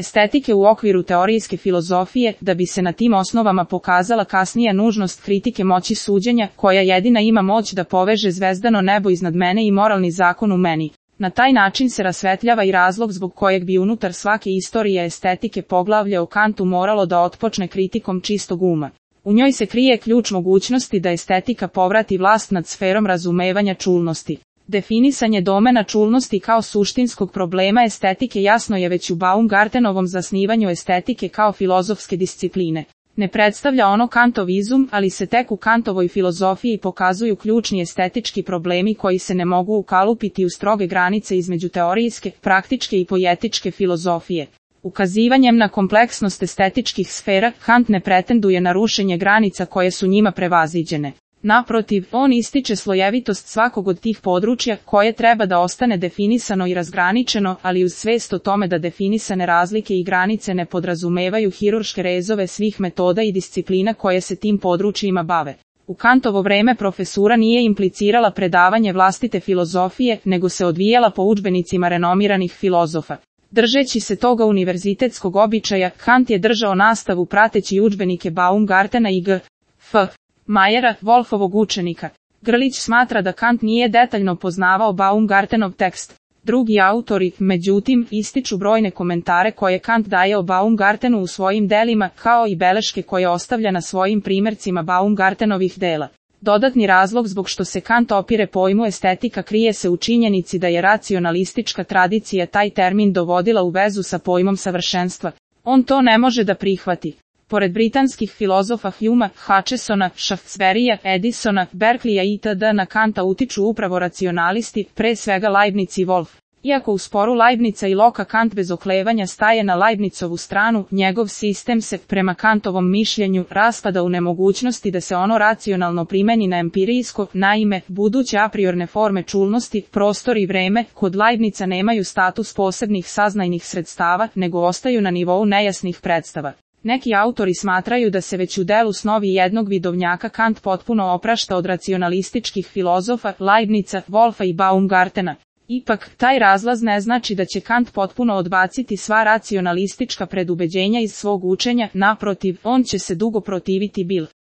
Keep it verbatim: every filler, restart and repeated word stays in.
estetike u okviru teorijske filozofije, da bi se na tim osnovama pokazala kasnija nužnost kritike moći suđenja, koja jedina ima moć da poveže zvezdano nebo iznad mene i moralni zakon u meni. Na taj način se rasvetljava i razlog zbog kojeg bi unutar svake istorije estetike poglavlje o Kantu moralo da otpočne kritikom čistog uma. U njoj se krije ključ mogućnosti da estetika povrati vlast nad sferom razumevanja čulnosti. Definisanje domena čulnosti kao suštinskog problema estetike jasno je već u Baumgartenovom zasnivanju estetike kao filozofske discipline. Ne predstavlja ono Kantov izum, ali se tek u Kantovoj filozofiji pokazuju ključni estetički problemi koji se ne mogu ukalupiti u stroge granice između teorijske, praktičke i poetičke filozofije. Ukazivanjem na kompleksnost estetičkih sfera, Kant ne pretenduje na rušenje granica koje su njima prevaziđene. Naprotiv, on ističe slojevitost svakog od tih područja, koje treba da ostane definisano i razgraničeno, ali uz svest o tome da definisane razlike i granice ne podrazumevaju hirurške rezove svih metoda i disciplina koje se tim područjima bave. U Kantovo vreme profesura nije implicirala predavanje vlastite filozofije, nego se odvijala po udžbenicima renomiranih filozofa. Držeći se toga univerzitetskog običaja, Kant je držao nastavu prateći udžbenike Baumgartena i G. F. Majera, Wolfovog učenika. Grlić smatra da Kant nije detaljno poznavao Baumgartenov tekst. Drugi autori, međutim, ističu brojne komentare koje Kant daje o Baumgartenu u svojim delima, kao i beleške koje ostavlja na svojim primjercima Baumgartenovih dela. Dodatni razlog zbog što se Kant opire pojmu estetika krije se u činjenici da je racionalistička tradicija taj termin dovodila u vezu sa pojmom savršenstva. On to ne može da prihvati. Pored britanskih filozofa Humea, Hutchesona, Shaftesburyja, Edisona, Berkeleya itd. Na Kanta utiču upravo racionalisti, pre svega Leibniz i Wolf. Iako u sporu Leibnica i Locke Kant bez oklevanja staje na Leibnizovu stranu, njegov sistem se, prema Kantovom mišljenju, raspada u nemogućnosti da se ono racionalno primeni na empirijsko, naime, buduće a priorne forme čulnosti, prostor i vreme, kod Leibnica nemaju status posebnih saznajnih sredstava, nego ostaju na nivou nejasnih predstava. Neki autori smatraju da se već u delu Snovi jednog vidovnjaka Kant potpuno oprašta od racionalističkih filozofa, Leibnica, Wolfa i Baumgartena. Ipak, taj razlaz ne znači da će Kant potpuno odbaciti sva racionalistička predubeđenja iz svog učenja, naprotiv, on će se dugo protiviti bil